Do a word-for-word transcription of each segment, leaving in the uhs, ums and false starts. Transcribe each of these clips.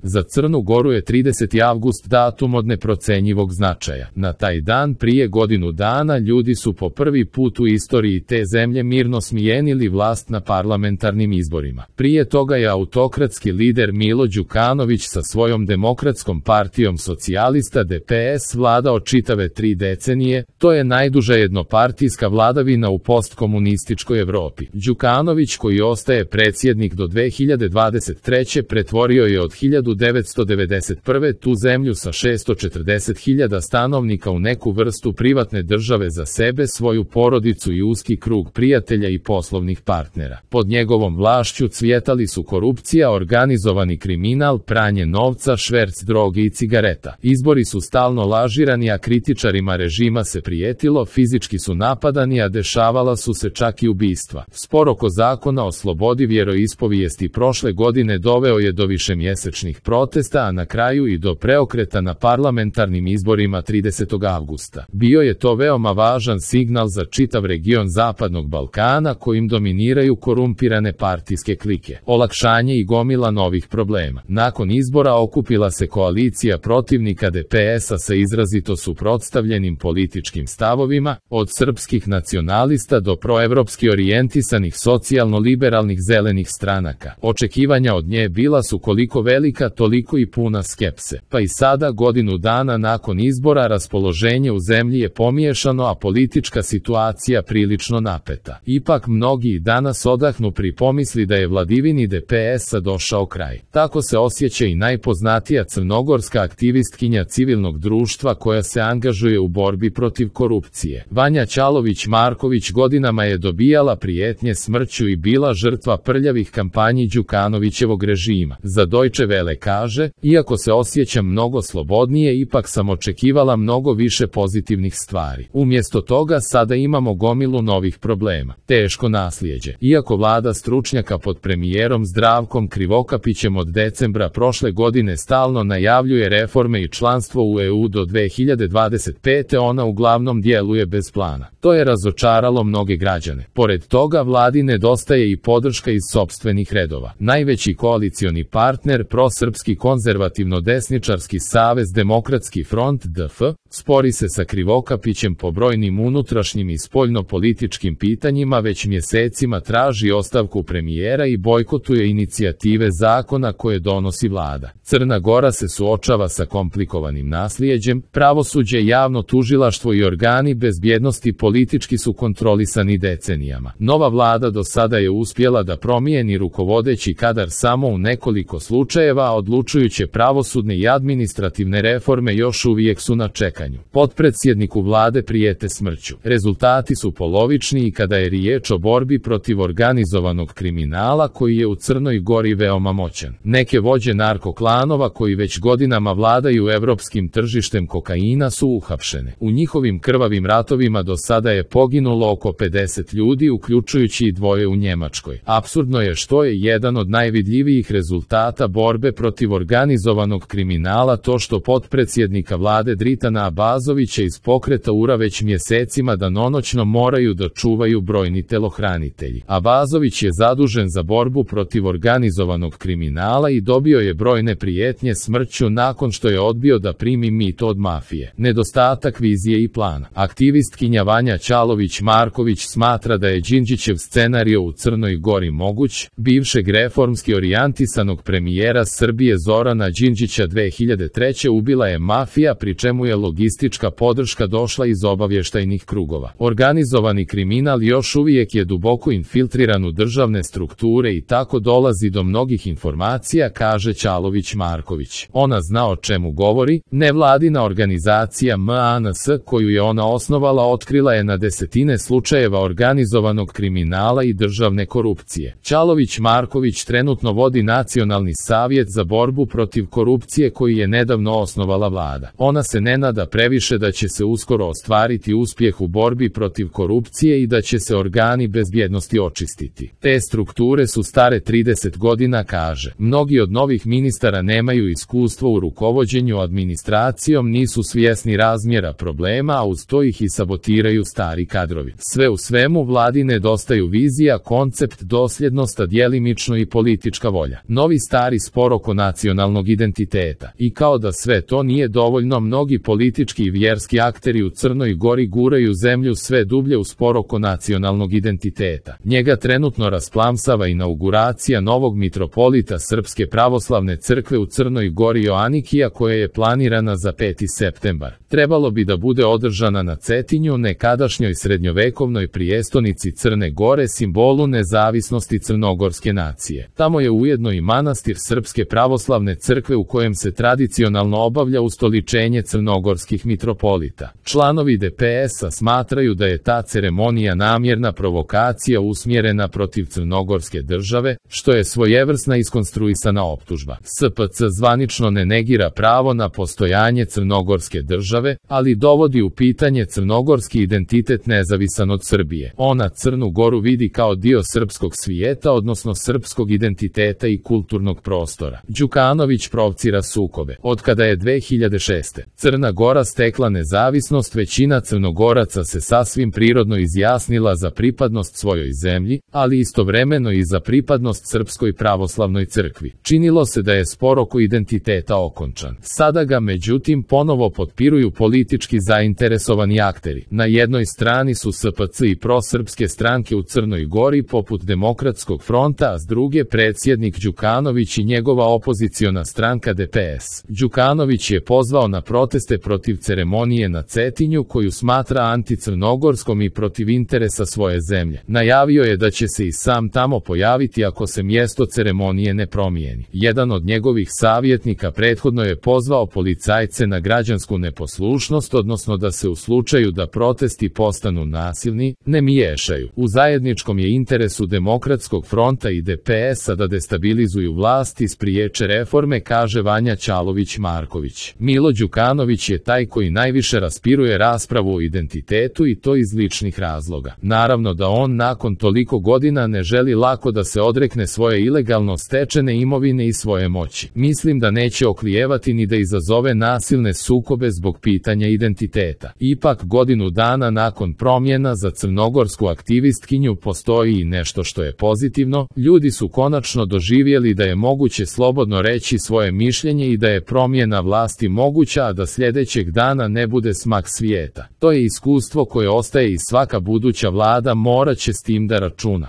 Za Crnu Goru je trideseti avgust datum od neprocenjivog značaja. Na taj dan prije godinu dana ljudi su po prvi put u istoriji te zemlje mirno smijenili vlast na parlamentarnim izborima. Prije toga je autokratski lider Milo Đukanović sa svojom demokratskom partijom socijalista D P S vladao čitave tri decenije, to je najduža jednopartijska vladavina u postkomunističkoj Evropi. Đukanović, koji ostaje predsjednik do dve hiljade dvadeset treće pretvorio je od hiljadu devetsto devedeset prve tu zemlju sa šessto četrdeset hiljada stanovnika u neku vrstu privatne države za sebe, svoju porodicu i uski krug prijatelja i poslovnih partnera. Pod njegovom vlašću cvjetali su korupcija, organizovani kriminal, pranje novca, šverc droge i cigareta. Izbori su stalno lažirani, a kritičarima režima se prijetilo, fizički su napadani, a dešavala su se čak i ubistva. Spor oko zakona o slobodi vjeroispovijesti prošle godine doveo je do višemjesečnih protesta, a na kraju i do preokreta na parlamentarnim izborima tridesetog avgusta. Bio je to veoma važan signal za čitav region Zapadnog Balkana, kojim dominiraju korumpirane partijske klike. Olakšanje i gomila novih problema. Nakon izbora okupila se koalicija protivnika D P S-a sa izrazito suprotstavljenim političkim stavovima, od srpskih nacionalista do proevropski orijentisanih socijalno-liberalnih zelenih stranaka. Očekivanja od nje bila su koliko velika, toliko i puna skepse. Pa i sada, godinu dana nakon izbora, raspoloženje u zemlji je pomiješano, a politička situacija prilično napeta. Ipak mnogi i danas odahnu pri pomisli da je vladavini D P S-a došao kraj. Tako se osjeća i najpoznatija crnogorska aktivistkinja civilnog društva koja se angažuje u borbi protiv korupcije. Vanja Ćalović-Marković godinama je dobijala prijetnje smrću i bila žrtva prljavih kampanji Đukanovićevog režima. Za Deutsche Welle kaže: iako se osjećam mnogo slobodnije, ipak sam očekivala mnogo više pozitivnih stvari. Umjesto toga sada imamo gomilu novih problema. Teško naslijeđe. Iako vlada stručnjaka pod premijerom Zdravkom Krivokapićem od decembra prošle godine stalno najavljuje reforme i članstvo u E U do dve hiljade dvadeset pete, ona uglavnom djeluje bez plana. To je razočaralo mnoge građane. Pored toga, vladi nedostaje i podrška iz sopstvenih redova. Najveći koalicioni partner, prosrpski konzervativno-desničarski savez Demokratski front D F, spori se sa Krivokapićem po brojnim unutrašnjim i spoljno-političkim pitanjima, već mjesecima traži ostavku premijera i bojkotuje inicijative zakona koje donosi vlada. Crna Gora se suočava sa komplikovanim naslijeđem, pravosuđe, javno tužilaštvo i organi bezbjednosti politički su kontrolisani decenijama. Nova vlada do sada je uspjela da promijeni rukovodeći kadar samo u nekoliko slučajeva, a odlučujuće pravosudne i administrativne reforme još uvijek su na čekanju. Potpredsjedniku vlade prijete smrću. Rezultati su polovični i kada je riječ o borbi protiv organizovanog kriminala koji je u Crnoj Gori veoma moćan. Neke vođe narkoklanova koji već godinama vladaju evropskim tržištem kokaina su uhapšene. U njihovim krvavim ratovima do sada je poginulo oko pedeset ljudi, uključujući i dvoje u Njemačkoj. Apsurdno je što je jedan od najvidljivijih rezultata borbe protiv organizovanog kriminala to što potpredsjednika vlade Dritana Abazovića iz pokreta U R A već mjesecima danonoćno moraju da čuvaju brojni telohranitelji. Abazović je zadužen za borbu protiv organizovanog kriminala i dobio je brojne prijetnje smrću nakon što je odbio da primi mito od mafije. Nedostatak vizije i plana. Aktivistkinja Vanja Ćalović-Marković smatra da je Đinđićev scenario u Crnoj Gori moguć. Bivšeg reformski orijentisanog premijera Srbije Zorana Đinđića dve hiljade treće ubila je mafija, pri čemu je logistička podrška došla iz obavještajnih krugova. Organizovani kriminal još uvijek je duboko infiltriran u državne strukture i tako dolazi do mnogih informacija, kaže Ćalović-Marković. Ona zna o čemu govori. Nevladina organizacija M A N S koju je ona osnovala otkrila je na desetine slučajeva organizovanog kriminala i državne korupcije. Ćalović-Marković trenutno vodi Nacionalni savjet za borbu protiv korupcije koji je nedavno osnovala vlada. Ona se ne nada previše da će se uskoro ostvariti uspjeh u borbi protiv korupcije i da će se organi bezbjednosti očistiti. Te strukture su stare trideset godina, kaže. Mnogi od novih ministara nemaju iskustvo u rukovođenju administracijom, nisu svjesni razmjera problema, a uz to ih i sabotiraju stari kadrovi. Sve u svemu, vladi nedostaju vizija, koncept, dosljednost, a djelimično i politička volja. Novi stari spor oko nacionalnog identiteta. I kao da sve to nije dovoljno, mnogi politički i vjerski akteri u Crnoj Gori guraju zemlju sve dublje u spor oko nacionalnog identiteta. Njega trenutno rasplamsava inauguracija novog mitropolita Srpske pravoslavne crkve u Crnoj Gori Joanikija, koja je planirana za peti septembar. Trebalo bi da bude održana na Cetinju, nekadašnjoj srednjovekovnoj prijestonici Crne Gore, simbolu nezavisnosti crnogorske nacije. Tamo je ujedno i manastir Srpske pravoslavne crkve u kojem se tradicionalno obavlja ustoličenje crnogorskih mitropolita. Članovi D P S-a smatraju da je ta ceremonija namjerna provokacija usmjerena protiv crnogorske države, što je svojevrsna iskonstruisana optužba. S P C zvanično ne negira pravo na postojanje crnogorske države, ali dovodi u pitanje crnogorski identitet nezavisan od Srbije. Ona Crnu Goru vidi kao dio srpskog svijeta, odnosno srpskog identiteta i kulturnog prostora. Đukanović provocira sukobe. Od kada je dve hiljade šeste. Crna Gora stekla nezavisnost, većina Crnogoraca se sasvim prirodno izjasnila za pripadnost svojoj zemlji, ali istovremeno i za pripadnost Srpskoj pravoslavnoj crkvi. Činilo se da je spor oko identiteta okončan. Sada ga međutim ponovo potpiruju politički zainteresovani akteri. Na jednoj strani su S P C i prosrpske stranke u Crnoj Gori poput Demokratskog fronta, a s druge predsjednik Đukanović i njegova opoziciona stranka D P S. Đukanović je pozvao na proteste protiv ceremonije na Cetinju, koju smatra anticrnogorskom i protiv interesa svoje zemlje. Najavio je da će se i sam tamo pojaviti ako se mjesto ceremonije ne promijeni. Jedan od njegovih savjetnika prethodno je pozvao policajce na građansku neposlušnost, odnosno da se u slučaju da protesti postanu nasilni, ne miješaju. U zajedničkom je interesu Demokratskog fronta i D P S-a da destabilizuju vlast i spriječe reforme, kaže Vanja Ćalović-Marković. Milo Đukanović je taj koji najviše raspiruje raspravu o identitetu, i to iz ličnih razloga. Naravno da on nakon toliko godina ne želi lako da se odrekne svoje ilegalno stečene imovine i svoje moći. Mislim da neće oklijevati ni da izazove nasilne sukobe zbog pitanja identiteta. Ipak godinu dana nakon promjena za crnogorsku aktivistkinju postoji i nešto što je pozitivno. Ljudi su konačno doživjeli da je moguće slobodno reći svoje mišljenje i da je promjena vlasti moguća, a da sljedećeg dana ne bude smak svijeta. To je iskustvo koje ostaje i svaka buduća vlada morat će s tim da računa.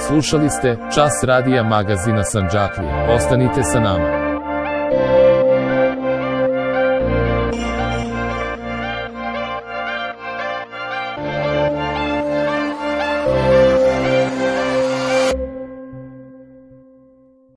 Slušali ste Čas radija magazina Sandžaklija. Ostanite sa nama.